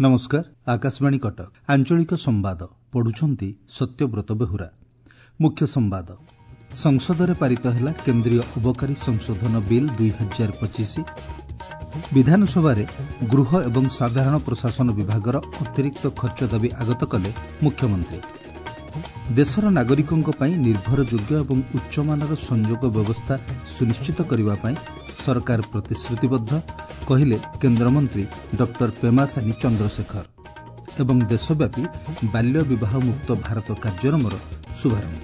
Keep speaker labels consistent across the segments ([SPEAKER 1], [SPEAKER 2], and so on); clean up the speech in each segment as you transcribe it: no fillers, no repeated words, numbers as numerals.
[SPEAKER 1] ନମସ୍କାର, ଆକାଶବାଣୀ କଟକ, ଆଞ୍ଚଳିକ ସମ୍ବାଦ ପଢୁଛନ୍ତି ସତ୍ୟବ୍ରତ ବେହୁରା। ମୁଖ୍ୟ ସମ୍ବାଦ। ସଂସଦରେ ପାରିତ ହେଲା କେନ୍ଦ୍ରୀୟ ଅବକାରୀ ସଂଶୋଧନ ବିଲ୍ 2025। ବିଧାନସଭାରେ ଗୃହ ଏବଂ ସାଧାରଣ ପ୍ରଶାସନ ବିଭାଗର ଅତିରିକ୍ତ ଖର୍ଚ୍ଚ ଦାବି ଆଗତ କଲେ ମୁଖ୍ୟମନ୍ତ୍ରୀ। ଦେଶର ନାଗରିକଙ୍କ ପାଇଁ ନିର୍ଭରଯୋଗ୍ୟ ଏବଂ ଉଚ୍ଚମାନର ସଂଯୋଗ ବ୍ୟବସ୍ଥା ସୁନିଶ୍ଚିତ କରିବା ପାଇଁ ସରକାର ପ୍ରତିଶ୍ରୁତିବଦ୍ଧ, କହିଲେ କେନ୍ଦ୍ରମନ୍ତ୍ରୀ ଡକ୍ଟର ପେମାସାନି ଚନ୍ଦ୍ରଶେଖର। ଏବଂ ଦେଶବ୍ୟାପୀ ବାଲ୍ୟ ବିବାହ ମୁକ୍ତ ଭାରତ କାର୍ଯ୍ୟକ୍ରମର ଶୁଭାରମ୍ଭ।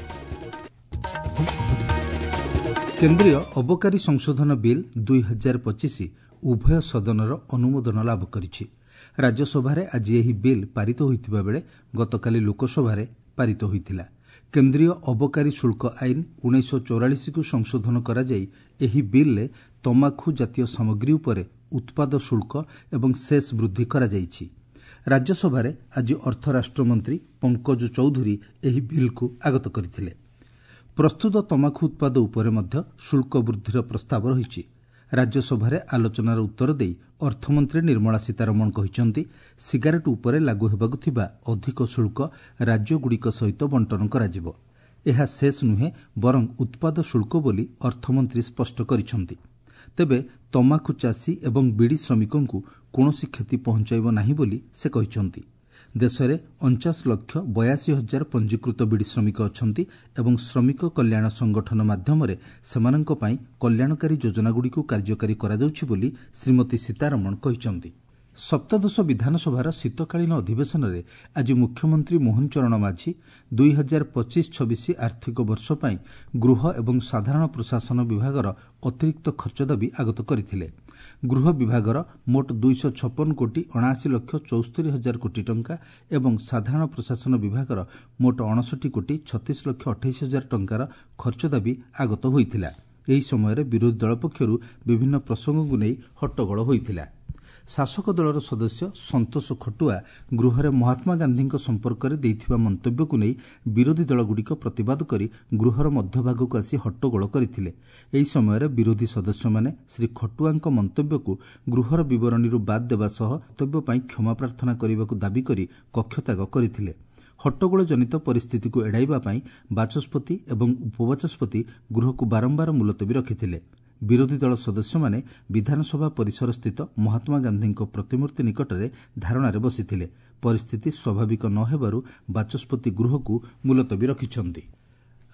[SPEAKER 1] କେନ୍ଦ୍ରୀୟ ଅବକାରୀ ସଂଶୋଧନ ବିଲ୍ 2025 ଉଭୟ ସଦନର ଅନୁମୋଦନ ଲାଭ କରିଛି। ରାଜ୍ୟସଭାରେ ଆଜି ଏହି ବିଲ୍ ପାରିତ ହୋଇଥିବା ବେଳେ ଗତକାଲି ଲୋକସଭାରେ ପାରିତ ହୋଇଥିଲା। କେନ୍ଦ୍ରୀୟ ଅବକାରୀ ଶୁଳ୍କ ଆଇନ 1944କୁ ସଂଶୋଧନ କରାଯାଇ ଏହି ବିଲ୍ରେ ତମାଖୁ ଜାତୀୟ ସାମଗ୍ରୀ ଉପରେ ଉତ୍ପାଦ ଶୁଳ୍କ ଏବଂ ସେସ୍ ବୃଦ୍ଧି କରାଯାଇଛି। ରାଜ୍ୟସଭାରେ ଆଜି ଅର୍ଥ ରାଷ୍ଟ୍ରମନ୍ତ୍ରୀ ପଙ୍କଜ ଚୌଧୁରୀ ଏହି ବିଲ୍କୁ ଆଗତ କରିଥିଲେ। ପ୍ରସ୍ତୁତ ତମାଖୁ ଉତ୍ପାଦ ଉପରେ ମଧ୍ୟ ଶୁଳ୍କ ବୃଦ୍ଧିର ପ୍ରସ୍ତାବ ରହିଛି। ରାଜ୍ୟସଭାରେ ଆଲୋଚନାର ଉତ୍ତର ଦେଇ ଅର୍ଥମନ୍ତ୍ରୀ ନିର୍ମଳା ସୀତାରମଣ କହିଛନ୍ତି, ସିଗାରେଟ୍ ଉପରେ ଲାଗୁ ହେବାକୁ ଥିବା ଅଧିକ ଶୁଳ୍କ ରାଜ୍ୟଗୁଡ଼ିକ ସହିତ ବଣ୍ଟନ କରାଯିବ। ଏହା ସେସ୍ ନୁହେଁ, ବରଂ ଉତ୍ପାଦ ଶୁଳ୍କ ବୋଲି ଅର୍ଥମନ୍ତ୍ରୀ ସ୍ପଷ୍ଟ କରିଛନ୍ତି। ତେବେ ତମାଖୁ ଚାଷୀ ଏବଂ ବିଡ଼ି ଶ୍ରମିକଙ୍କୁ କୌଣସି କ୍ଷତି ପହଞ୍ଚାଇବ ନାହିଁ ବୋଲି ସେ କହିଛନ୍ତି। ଦେଶରେ 49,82,000 ପଞ୍ଜୀକୃତ ବିଡ଼ି ଶ୍ରମିକ ଅଛନ୍ତି ଏବଂ ଶ୍ରମିକ କଲ୍ୟାଣ ସଂଗଠନ ମାଧ୍ୟମରେ ସେମାନଙ୍କ ପାଇଁ କଲ୍ୟାଣକାରୀ ଯୋଜନାଗୁଡ଼ିକୁ କାର୍ଯ୍ୟକାରୀ କରାଯାଉଛି ବୋଲି ଶ୍ରୀମତୀ ସୀତାରମଣ କହିଛନ୍ତି। ସପ୍ତଦଶ ବିଧାନସଭାର ଶୀତକାଳୀନ ଅଧିବେଶନରେ ଆଜି ମୁଖ୍ୟମନ୍ତ୍ରୀ ମୋହନ ଚରଣ ମାଝୀ 2025-26 ଆର୍ଥିକ ବର୍ଷ ପାଇଁ ଗୃହ ଏବଂ ସାଧାରଣ ପ୍ରଶାସନ ବିଭାଗର ଅତିରିକ୍ତ ଖର୍ଚ୍ଚ ଦାବି ଆଗତ କରିଥିଲେ। ଗୃହ ବିଭାଗର ମୋଟ 256 କୋଟି 79 ଲକ୍ଷ 74 ହଜାର କୋଟି ଟଙ୍କା ଏବଂ ସାଧାରଣ ପ୍ରଶାସନ ବିଭାଗର ମୋଟ 59 କୋଟି 36 ଲକ୍ଷ 28 ହଜାର ଟଙ୍କାର ଖର୍ଚ୍ଚ ଦାବି ଆଗତ ହୋଇଥିଲା। ଏହି ସମୟରେ ବିରୋଧୀ ଦଳ ପକ୍ଷରୁ ବିଭିନ୍ନ ପ୍ରସଙ୍ଗକୁ ନେଇ ହଟ୍ଟଗୋଳ ହୋଇଥିଲା। ଶାସକ ଦଳର ସଦସ୍ୟ ସନ୍ତୋଷ ଖଟୁଆ ଗୃହରେ ମହାତ୍ମା ଗାନ୍ଧୀଙ୍କ ସମ୍ପର୍କରେ ଦେଇଥିବା ମନ୍ତବ୍ୟକୁ ନେଇ ବିରୋଧୀ ଦଳଗୁଡ଼ିକ ପ୍ରତିବାଦ କରି ଗୃହର ମଧ୍ୟଭାଗକୁ ଆସି ହଟ୍ଟଗୋଳ କରିଥିଲେ। ଏହି ସମୟରେ ବିରୋଧୀ ସଦସ୍ୟମାନେ ଶ୍ରୀ ଖଟୁଆଙ୍କ ମନ୍ତବ୍ୟକୁ ଗୃହର ବିବରଣୀରୁ ବାଦ୍ ଦେବା ସହ ମନ୍ତବ୍ୟ ପାଇଁ କ୍ଷମା ପ୍ରାର୍ଥନା କରିବାକୁ ଦାବି କରି କକ୍ଷତ୍ୟାଗ କରିଥିଲେ। ହଟ୍ଟଗୋଳ ଜନିତ ପରିସ୍ଥିତିକୁ ଏଡ଼ାଇବା ପାଇଁ ବାଚସ୍ପତି ଏବଂ ଉପବାଚସ୍ପତି ଗୃହକୁ ବାରମ୍ବାର ମୁଲତବୀ ରଖିଥିଲେ। ବିରୋଧୀ ଦଳ ସଦସ୍ୟମାନେ ବିଧାନସଭା ପରିସରସ୍ଥିତ ମହାତ୍ମା ଗାନ୍ଧୀଙ୍କ ପ୍ରତିମୂର୍ତ୍ତି ନିକଟରେ ଧାରଣାରେ ବସିଥିଲେ। ପରିସ୍ଥିତି ସ୍ୱାଭାବିକ ନ ହେବାରୁ ବାଚସ୍ପତି ଗୃହକୁ ମୁଲତବୀ ରଖିଛନ୍ତି।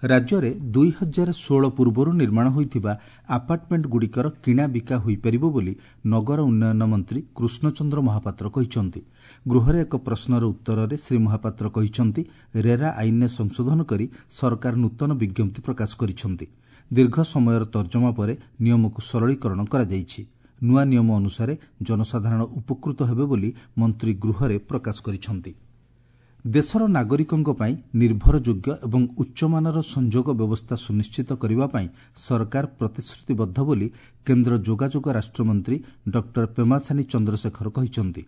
[SPEAKER 1] ରାଜ୍ୟରେ 2016 ପୂର୍ବରୁ ନିର୍ମାଣ ହୋଇଥିବା ଆପାର୍ଟମେଣ୍ଟଗୁଡ଼ିକର କିଣାବିକା ହୋଇପାରିବ ବୋଲି ନଗର ଉନ୍ନୟନ ମନ୍ତ୍ରୀ କୃଷ୍ଣଚନ୍ଦ୍ର ମହାପାତ୍ର କହିଛନ୍ତି। ଗୃହରେ ଏକ ପ୍ରଶ୍ନର ଉତ୍ତରରେ ଶ୍ରୀ ମହାପାତ୍ର କହିଛନ୍ତି, ରେରା ଆଇନରେ ସଂଶୋଧନ କରି ସରକାର ନୂତନ ବିଜ୍ଞପ୍ତି ପ୍ରକାଶ କରିଛନ୍ତି। ଦୀର୍ଘ ସମୟର ତର୍ଜମା ପରେ ନିୟମକୁ ସରଳୀକରଣ କରାଯାଇଛି। ନୂଆ ନିୟମ ଅନୁସାରେ ଜନସାଧାରଣ ଉପକୃତ ହେବେ ବୋଲି ମନ୍ତ୍ରୀ ଗୃହରେ ପ୍ରକାଶ କରିଛନ୍ତି। ଦେଶର ନାଗରିକଙ୍କ ପାଇଁ ନିର୍ଭରଯୋଗ୍ୟ ଏବଂ ଉଚ୍ଚମାନର ସଂଯୋଗ ବ୍ୟବସ୍ଥା ସୁନିଶ୍ଚିତ କରିବା ପାଇଁ ସରକାର ପ୍ରତିଶ୍ରୁତିବଦ୍ଧ ବୋଲି କେନ୍ଦ୍ର ଯୋଗାଯୋଗ ରାଷ୍ଟ୍ରମନ୍ତ୍ରୀ ଡକ୍ଟର ପେମାସାନି ଚନ୍ଦ୍ରଶେଖର କହିଛନ୍ତି।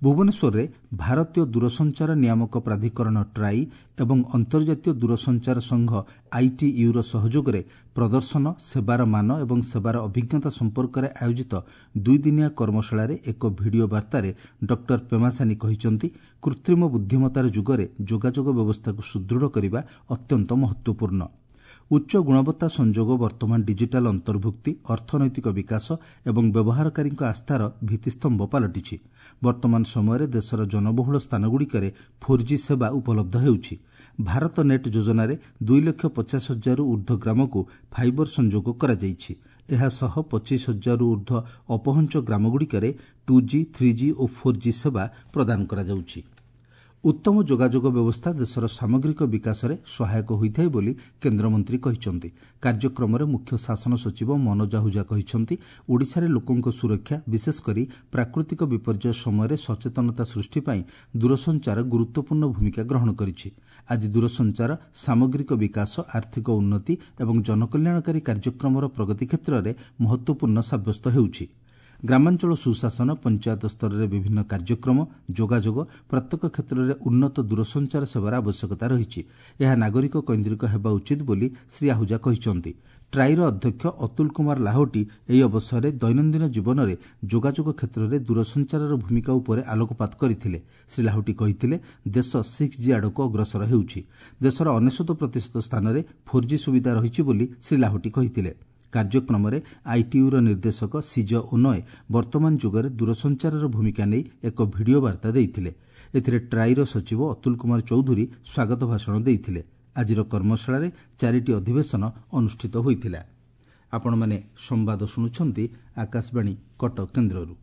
[SPEAKER 1] ଭୁବନେଶ୍ୱରରେ ଭାରତୀୟ ଦୂରସଞ୍ଚାର ନିୟାମକ ପ୍ରାଧିକରଣ ଟ୍ରାଇ ଏବଂ ଅନ୍ତର୍ଜାତୀୟ ଦୂରସଞ୍ଚାର ସଂଘ ଆଇଟିୟୁର ସହଯୋଗରେ ପ୍ରଦର୍ଶନ, ସେବାର ମାନ ଏବଂ ସେବାର ଅଭିଜ୍ଞତା ସମ୍ପର୍କରେ ଆୟୋଜିତ ଦୁଇଦିନିଆ କର୍ମଶାଳାରେ ଏକ ଭିଡିଓ ବାର୍ତ୍ତାରେ ଡକ୍ଟର ପେମାସାନି କହିଛନ୍ତି, କୃତ୍ରିମ ବୁଦ୍ଧିମତ୍ତାର ଯୁଗରେ ଯୋଗାଯୋଗ ବ୍ୟବସ୍ଥାକୁ ସୁଦୃଢ଼ କରିବା ଅତ୍ୟନ୍ତ ମହତ୍ତ୍ୱପୂର୍ଣ୍ଣ। ଉଚ୍ଚ ଗୁଣବତ୍ତା ସଂଯୋଗ ବର୍ତ୍ତମାନ ଡିଜିଟାଲ ଅନ୍ତର୍ଭୁକ୍ତି, ଅର୍ଥନୈତିକ ବିକାଶ ଏବଂ ବ୍ୟବହାରକାରୀଙ୍କ ଆସ୍ଥାର ଭିତ୍ତିସ୍ତମ୍ଭ ପାଲଟିଛି। ବର୍ତ୍ତମାନ ସମୟରେ ଦେଶର ଜନବହୁଳ ସ୍ଥାନଗୁଡ଼ିକରେ ଫୋର୍ ଜି ସେବା ଉପଲବ୍ଧ ହେଉଛି। ଭାରତ ନେଟ୍ ଯୋଜନାରେ 2,50,000ରୁ ଊର୍ଦ୍ଧ୍ୱ ଗ୍ରାମକୁ ଫାଇବର ସଂଯୋଗ କରାଯାଇଛି। ଏହାସହ 25,000ରୁ ଊର୍ଦ୍ଧ୍ୱ ଅପହଞ୍ଚ ଗ୍ରାମଗୁଡ଼ିକରେ two G, three G O four G ସେବା ପ୍ରଦାନ କରାଯାଉଛି। ଉତ୍ତମ ଯୋଗାଯୋଗ ବ୍ୟବସ୍ଥା ଦେଶର ସାମଗ୍ରିକ ବିକାଶରେ ସହାୟକ ହୋଇଥାଏ ବୋଲି କେନ୍ଦ୍ରମନ୍ତ୍ରୀ କହିଛନ୍ତି। କାର୍ଯ୍ୟକ୍ରମରେ ମୁଖ୍ୟ ଶାସନ ସଚିବ ମନୋଜ ଆହୁଜା କହିଛନ୍ତି, ଓଡ଼ିଶାରେ ଲୋକଙ୍କ ସୁରକ୍ଷା, ବିଶେଷ କରି ପ୍ରାକୃତିକ ବିପର୍ଯ୍ୟୟ ସମୟରେ ସଚେତନତା ସୃଷ୍ଟି ପାଇଁ ଦୂରସଞ୍ଚାର ଗୁରୁତ୍ୱପୂର୍ଣ୍ଣ ଭୂମିକା ଗ୍ରହଣ କରିଛି। ଆଜି ଦୂରସଞ୍ଚାର ସାମଗ୍ରିକ ବିକାଶ, ଆର୍ଥିକ ଉନ୍ନତି ଏବଂ ଜନକଲ୍ୟାଣକାରୀ କାର୍ଯ୍ୟକ୍ରମର ପ୍ରଗତି କ୍ଷେତ୍ରରେ ମହତ୍ତ୍ୱପୂର୍ଣ୍ଣ ସାବ୍ୟସ୍ତ ହେଉଛି। ଗ୍ରାମାଞ୍ଚଳ ସୁଶାସନ, ପଞ୍ଚାୟତ ସ୍ତରରେ ବିଭିନ୍ନ କାର୍ଯ୍ୟକ୍ରମ, ଯୋଗାଯୋଗ, ପ୍ରତ୍ୟେକ କ୍ଷେତ୍ରରେ ଉନ୍ନତ ଦୂରସଞ୍ଚାର ସେବାର ଆବଶ୍ୟକତା ରହିଛି। ଏହା ନାଗରିକ କୈନ୍ଦ୍ରିକ ହେବା ଉଚିତ ବୋଲି ଶ୍ରୀ ଆହୁଜା କହିଛନ୍ତି। ଟ୍ରାଇର ଅଧ୍ୟକ୍ଷ ଅତୁଲ କୁମାର ଲାହୋଟି ଏହି ଅବସରରେ ଦୈନନ୍ଦିନ ଜୀବନରେ ଯୋଗାଯୋଗ କ୍ଷେତ୍ରରେ ଦୂରସଞ୍ଚାରର ଭୂମିକା ଉପରେ ଆଲୋକପାତ କରିଥିଲେ। ଶ୍ରୀ ଲାହୋଟି କହିଥିଲେ, ଦେଶ 6G ଆଡ଼କୁ ଅଗ୍ରସର ହେଉଛି। ଦେଶର 99% ସ୍ଥାନରେ 4G ସୁବିଧା ରହିଛି ବୋଲି ଶ୍ରୀ ଲାହୋଟି କହିଥିଲେ। କାର୍ଯ୍ୟକ୍ରମରେ ଆଇଟିୟୁର ନିର୍ଦ୍ଦେଶକ ସିଜ ଓନୟ ବର୍ତ୍ତମାନ ଯୁଗରେ ଦୂରସଞ୍ଚାରର ଭୂମିକା ନେଇ ଏକ ଭିଡିଓ ବାର୍ତ୍ତା ଦେଇଥିଲେ। ଏଥିରେ ଟ୍ରାଇର ସଚିବ ଅତୁଲ କୁମାର ଚୌଧୁରୀ ସ୍ୱାଗତ ଭାଷଣ ଦେଇଥିଲେ। ଆଜିର କର୍ମଶାଳାରେ 4ଟି ଅଧିବେଶନ ଅନୁଷ୍ଠିତ ହୋଇଥିଲା। ଆପଣମାନେ ସମ୍ବାଦ ଶୁଣୁଛନ୍ତି ଆକାଶବାଣୀ କଟକ କେନ୍ଦ୍ରରୁ।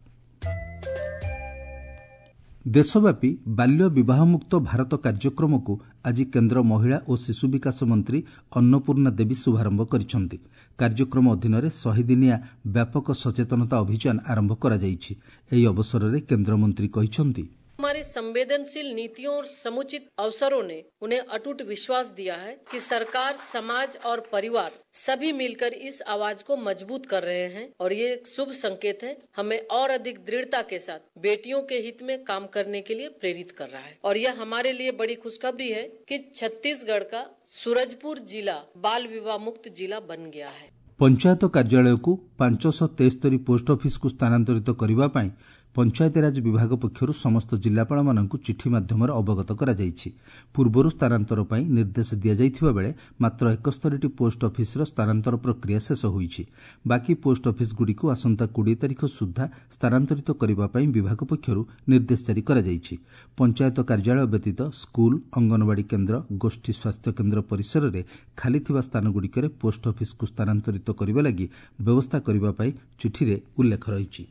[SPEAKER 1] ଦେଶବ୍ୟାପୀ ବାଲ୍ୟ ବିବାହମୁକ୍ତ ଭାରତ କାର୍ଯ୍ୟକ୍ରମକୁ ଆଜି କେନ୍ଦ୍ର ମହିଳା ଓ ଶିଶୁ ବିକାଶ ମନ୍ତ୍ରୀ ଅନ୍ନପୂର୍ଣ୍ଣା ଦେବୀ ଶୁଭାରମ୍ଭ କରିଛନ୍ତି। କାର୍ଯ୍ୟକ୍ରମ ଅଧୀନରେ 100 ଦିନିଆ ବ୍ୟାପକ ସଚେତନତା ଅଭିଯାନ ଆରମ୍ଭ କରାଯାଇଛି। ଏହି ଅବସରରେ କେନ୍ଦ୍ରମନ୍ତ୍ରୀ କହିଛନ୍ତି,
[SPEAKER 2] हमारी संवेदनशील नीतियों और समुचित अवसरों ने उन्हें अटूट विश्वास दिया है कि सरकार, समाज और परिवार सभी मिलकर इस आवाज को मजबूत कर रहे हैं और ये एक शुभ संकेत है। हमें और अधिक दृढ़ता के साथ बेटियों के हित में काम करने के लिए प्रेरित कर रहा है और यह हमारे लिए बड़ी खुशखबरी है कि छत्तीसगढ़ का सूरजपुर जिला बाल विवाह मुक्त जिला बन गया है।
[SPEAKER 1] ପଞ୍ଚାୟତ କାର୍ଯ୍ୟାଳୟକୁ 573 ପୋଷ୍ଟ ଅଫିସକୁ ସ୍ଥାନାନ୍ତରିତ କରିବା ପାଇଁ ପଞ୍ଚାୟତିରାଜ ବିଭାଗ ପକ୍ଷରୁ ସମସ୍ତ ଜିଲ୍ଲାପାଳମାନଙ୍କୁ ଚିଠି ମାଧ୍ୟମରେ ଅବଗତ କରାଯାଇଛି। ପୂର୍ବରୁ ସ୍ଥାନାନ୍ତର ପାଇଁ ନିର୍ଦ୍ଦେଶ ଦିଆଯାଇଥିବା ବେଳେ ମାତ୍ର 71ଟି ପୋଷ୍ଟ ଅଫିସର ସ୍ଥାନାନ୍ତର ପ୍ରକ୍ରିୟା ଶେଷ ହୋଇଛି। ବାକି ପୋଷ୍ଟ ଅଫିସଗୁଡ଼ିକୁ ଆସନ୍ତା 20 ତାରିଖ ସୁଦ୍ଧା ସ୍ଥାନାନ୍ତରିତ କରିବା ପାଇଁ ବିଭାଗ ପକ୍ଷରୁ ନିର୍ଦ୍ଦେଶ ଜାରି କରାଯାଇଛି। ପଞ୍ଚାୟତ କାର୍ଯ୍ୟାଳୟ ବ୍ୟତୀତ ସ୍କୁଲ, ଅଙ୍ଗନବାଡ଼ି କେନ୍ଦ୍ର, ଗୋଷ୍ଠୀ ସ୍ୱାସ୍ଥ୍ୟ କେନ୍ଦ୍ର ପରିସରରେ ଖାଲିଥିବା ସ୍ଥାନଗୁଡ଼ିକରେ ପୋଷ୍ଟ ଅଫିସକୁ ସ୍ଥାନାନ୍ତରିତ କରିବା ଲାଗି ବ୍ୟବସ୍ଥା କରିବା ପାଇଁ ଚିଠିରେ ଉଲ୍ଲେଖ ରହିଛି।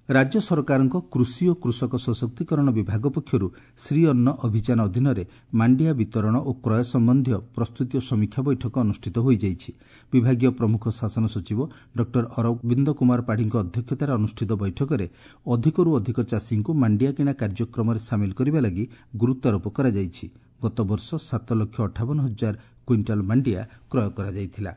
[SPEAKER 1] ରାଜ୍ୟ ସରକାରଙ୍କ କୃଷି ଓ କୃଷକ ସଶକ୍ତିକରଣ ବିଭାଗ ପକ୍ଷରୁ ଶ୍ରୀ ଅନ୍ନ ଅଭିଯାନ ଅଧୀନରେ ମାଣ୍ଡିଆ ବିତରଣ ଓ କ୍ରୟ ସମ୍ବନ୍ଧୀୟ ପ୍ରସ୍ତୁତି ଓ ସମୀକ୍ଷା ବୈଠକ ଅନୁଷ୍ଠିତ ହୋଇଯାଇଛି। ବିଭାଗୀୟ ପ୍ରମୁଖ ଶାସନ ସଚିବ ଡକ୍ଟର ଅରବିନ୍ଦ କୁମାର ପାଢ଼ୀଙ୍କ ଅଧ୍ୟକ୍ଷତାରେ ଅନୁଷ୍ଠିତ ବୈଠକରେ ଅଧିକରୁ ଅଧିକ ଚାଷୀଙ୍କୁ ମାଣ୍ଡିଆ କିଣା କାର୍ଯ୍ୟକ୍ରମରେ ସାମିଲ କରିବା ଲାଗି ଗୁରୁତ୍ୱାରୋପ କରାଯାଇଛି। ଗତବର୍ଷ 7,58,000 କ୍ୱିଣ୍ଟାଲ ମାଣ୍ଡିଆ କ୍ରୟ କରାଯାଇଥିଲା।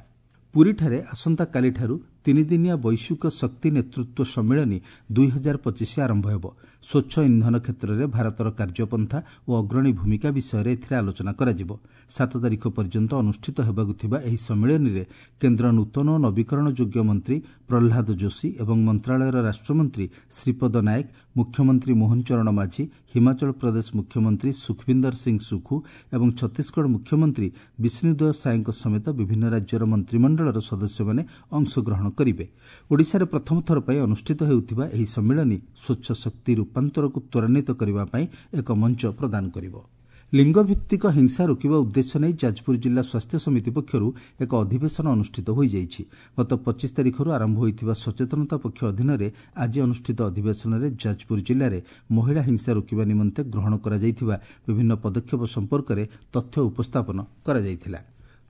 [SPEAKER 1] ପୁରୀଠାରେ ଆସନ୍ତାକାଲିଠାରୁ ତିନିଦିନିଆ ବୈଶ୍ୱିକ ଶକ୍ତି ନେତୃତ୍ୱ ସମ୍ମିଳନୀ 2025 ଆରମ୍ଭ ହେବ। ସ୍ୱଚ୍ଛ ଇନ୍ଧନ କ୍ଷେତ୍ରରେ ଭାରତର କାର୍ଯ୍ୟପନ୍ଥା ଓ ଅଗ୍ରଣୀ ଭୂମିକା ବିଷୟରେ ଏଥିରେ ଆଲୋଚନା କରାଯିବ। 7 ତାରିଖ ପର୍ଯ୍ୟନ୍ତ ଅନୁଷ୍ଠିତ ହେବାକୁ ଥିବା ଏହି ସମ୍ମିଳନୀରେ କେନ୍ଦ୍ର ନୂତନ ଓ ନବୀକରଣ ଯୋଗ୍ୟ ମନ୍ତ୍ରୀ ପ୍ରହ୍ଲାଦ ଯୋଶୀ ଏବଂ ମନ୍ତ୍ରଣାଳୟର ରାଷ୍ଟ୍ରମନ୍ତ୍ରୀ ଶ୍ରୀପଦ ନାୟକ, ମୁଖ୍ୟମନ୍ତ୍ରୀ ମୋହନ ଚରଣ ମାଝୀ, ହିମାଚଳ ପ୍ରଦେଶ ମୁଖ୍ୟମନ୍ତ୍ରୀ ସୁଖବିନ୍ଦର ସିଂ ସୁଖୁ ଏବଂ ଛତିଶଗଡ଼ ମୁଖ୍ୟମନ୍ତ୍ରୀ ବିଷ୍ଣୁଦେଓ ସାଏଙ୍କ ସମେତ ବିଭିନ୍ନ ରାଜ୍ୟର ମନ୍ତ୍ରିମଣ୍ଡଳର ସଦସ୍ୟମାନେ ଅଂଶଗ୍ରହଣ କରିବେ। ଓଡ଼ିଶାରେ ପ୍ରଥମ ଥର ପାଇଁ ଅନୁଷ୍ଠିତ ହେଉଥିବା ଏହି ସମ୍ମିଳନୀ ସ୍ୱଚ୍ଛ ଶକ୍ତି ରୂପାନ୍ତରକୁ ତ୍ୱରାନ୍ୱିତ କରିବା ପାଇଁ ଏକ ମଞ୍ଚ ପ୍ରଦାନ କରିବ। ଲିଙ୍ଗଭିତ୍ତିକ ହିଂସା ରୋକିବା ଉଦ୍ଦେଶ୍ୟ ନେଇ ଯାଜପୁର ଜିଲ୍ଲା ସ୍ୱାସ୍ଥ୍ୟ ସମିତି ପକ୍ଷରୁ ଏକ ଅଧିବେଶନ ଅନୁଷ୍ଠିତ ହୋଇଯାଇଛି। ଗତ 25 ତାରିଖରୁ ଆରମ୍ଭ ହୋଇଥିବା ସଚେତନତା ପକ୍ଷ ଅଧୀନରେ ଆଜି ଅନୁଷ୍ଠିତ ଅଧିବେଶନରେ ଯାଜପୁର ଜିଲ୍ଲାରେ ମହିଳା ହିଂସା ରୋକିବା ନିମନ୍ତେ ଗ୍ରହଣ କରାଯାଇଥିବା ବିଭିନ୍ନ ପଦକ୍ଷେପ ସମ୍ପର୍କରେ ତଥ୍ୟ ଉପସ୍ଥାପନ କରାଯାଇଥିଲା।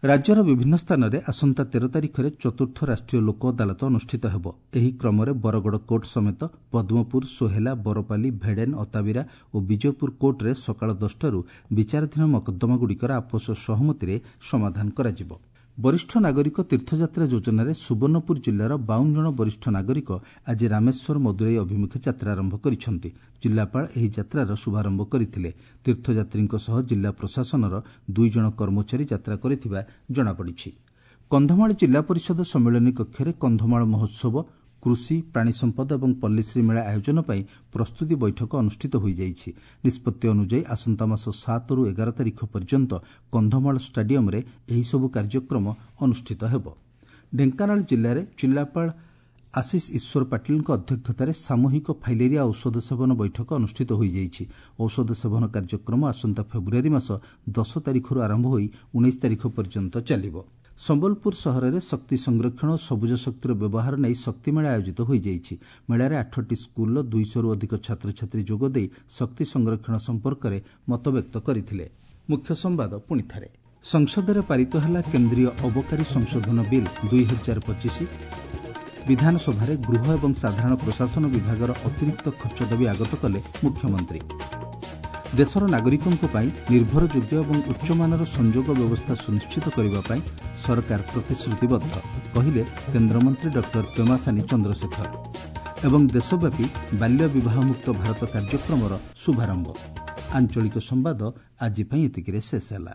[SPEAKER 1] ରାଜ୍ୟର ବିଭିନ୍ନ ସ୍ଥାନରେ ଆସନ୍ତା 13 ତାରିଖରେ ଚତୁର୍ଥ ରାଷ୍ଟ୍ରୀୟ ଲୋକ ଅଦାଲତ ଅନୁଷ୍ଠିତ ହେବ। ଏହି କ୍ରମରେ ବରଗଡ଼ କୋର୍ଟ ସମେତ ପଦ୍ମପୁର, ସୋହେଲା, ବରପାଲି, ଭେଡେନ୍, ଅତାବିରା ଓ ବିଜୟପୁର କୋର୍ଟରେ ସକାଳ 10ଟାରୁ ବିଚାରାଧୀନ ମକଦ୍ଦମାଗୁଡ଼ିକର ଆପୋଷ ସହମତିରେ ସମାଧାନ କରାଯିବ। ବରିଷ୍ଠ ନାଗରିକ ତୀର୍ଥଯାତ୍ରା ଯୋଜନାରେ ସୁବର୍ଣ୍ଣପୁର ଜିଲ୍ଲାର 52 ଜଣ ବରିଷ୍ଠ ନାଗରିକ ଆଜି ରାମେଶ୍ୱର ମଦୁରାଇ ଅଭିମୁଖେ ଯାତ୍ରା ଆରମ୍ଭ କରିଛନ୍ତି। ଜିଲ୍ଲାପାଳ ଏହି ଯାତ୍ରାର ଶୁଭାରମ୍ଭ କରିଥିଲେ। ତୀର୍ଥଯାତ୍ରୀଙ୍କ ସହ ଜିଲ୍ଲା ପ୍ରଶାସନର 2 ଜଣ କର୍ମଚାରୀ ଯାତ୍ରା କରିଥିବା ଜଣାପଡ଼ିଛି। କନ୍ଧମାଳ ଜିଲ୍ଲା ପରିଷଦ ସମ୍ମିଳନୀ କକ୍ଷରେ କନ୍ଧମାଳ ମହୋତ୍ସବ, କୃଷି, ପ୍ରାଣୀ ସମ୍ପଦ ଏବଂ ପଲ୍ଲୀଶ୍ରୀ ମେଳା ଆୟୋଜନ ପାଇଁ ପ୍ରସ୍ତୁତି ବୈଠକ ଅନୁଷ୍ଠିତ ହୋଇଯାଇଛି। ନିଷ୍ପତ୍ତି ଅନୁଯାୟୀ ଆସନ୍ତା ମାସ 7ରୁ 11 ତାରିଖ ପର୍ଯ୍ୟନ୍ତ କନ୍ଧମାଳ ଷ୍ଟାଡିୟମରେ ଏହିସବୁ କାର୍ଯ୍ୟକ୍ରମ ଅନୁଷ୍ଠିତ ହେବ। ଢେଙ୍କାନାଳ ଜିଲ୍ଲାରେ ଜିଲ୍ଲାପାଳ ଆଶିଷ ଈଶ୍ୱର ପାଟିଲଙ୍କ ଅଧ୍ୟକ୍ଷତାରେ ସାମୂହିକ ଫାଇଲେରିଆ ଔଷଧ ସେବନ ବୈଠକ ଅନୁଷ୍ଠିତ ହୋଇଯାଇଛି। ଔଷଧ ସେବନ କାର୍ଯ୍ୟକ୍ରମ ଆସନ୍ତା ଫେବୃଆରୀ ମାସ 10 ତାରିଖରୁ ଆରମ୍ଭ ହୋଇ 19 ତାରିଖ ପର୍ଯ୍ୟନ୍ତ ଚାଲିବ। ସମ୍ବଲପୁର ସହରରେ ଶକ୍ତି ସଂରକ୍ଷଣ ଓ ସବୁଜ ଶକ୍ତିର ବ୍ୟବହାର ନେଇ ଶକ୍ତି ମେଳା ଆୟୋଜିତ ହୋଇଯାଇଛି। ମେଳାରେ 8ଟି ସ୍କୁଲର 200ରୁ ଅଧିକ ଛାତ୍ରଛାତ୍ରୀ ଯୋଗଦେଇ ଶକ୍ତି ସଂରକ୍ଷଣ ସମ୍ପର୍କରେ ମତବ୍ୟକ୍ତ କରିଥିଲେ। ମୁଖ୍ୟ ସମ୍ବାଦ ପୁଣି ଥରେ। ସଂସଦରେ ପାରିତ ହେଲା କେନ୍ଦ୍ରୀୟ ଅବକାରୀ ସଂଶୋଧନ ବିଲ୍ 2025। ବିଧାନସଭାରେ ଗୃହ ଏବଂ ସାଧାରଣ ପ୍ରଶାସନ ବିଭାଗର ଅତିରିକ୍ତ ଖର୍ଚ୍ଚ ଦାବି ଆଗତ କଲେ ମୁଖ୍ୟମନ୍ତ୍ରୀ। ଦେଶର ନାଗରିକଙ୍କ ପାଇଁ ନିର୍ଭରଯୋଗ୍ୟ ଏବଂ ଉଚ୍ଚମାନର ସଂଯୋଗ ବ୍ୟବସ୍ଥା ସୁନିଶ୍ଚିତ କରିବା ପାଇଁ ସରକାର ପ୍ରତିଶ୍ରୁତିବଦ୍ଧ, କହିଲେ କେନ୍ଦ୍ରମନ୍ତ୍ରୀ ଡକ୍ଟର ପେମାସାନି ଚନ୍ଦ୍ରଶେଖର। ଏବଂ ଦେଶବ୍ୟାପୀ ବାଲ୍ୟ ବିବାହମୁକ୍ତ ଭାରତ କାର୍ଯ୍ୟକ୍ରମର ଶୁଭାରମ୍ଭ। ଆଞ୍ଚଳିକ ସମ୍ବାଦ ଆଜି ପାଇଁ ଏତିକିରେ ଶେଷ ହେଲା।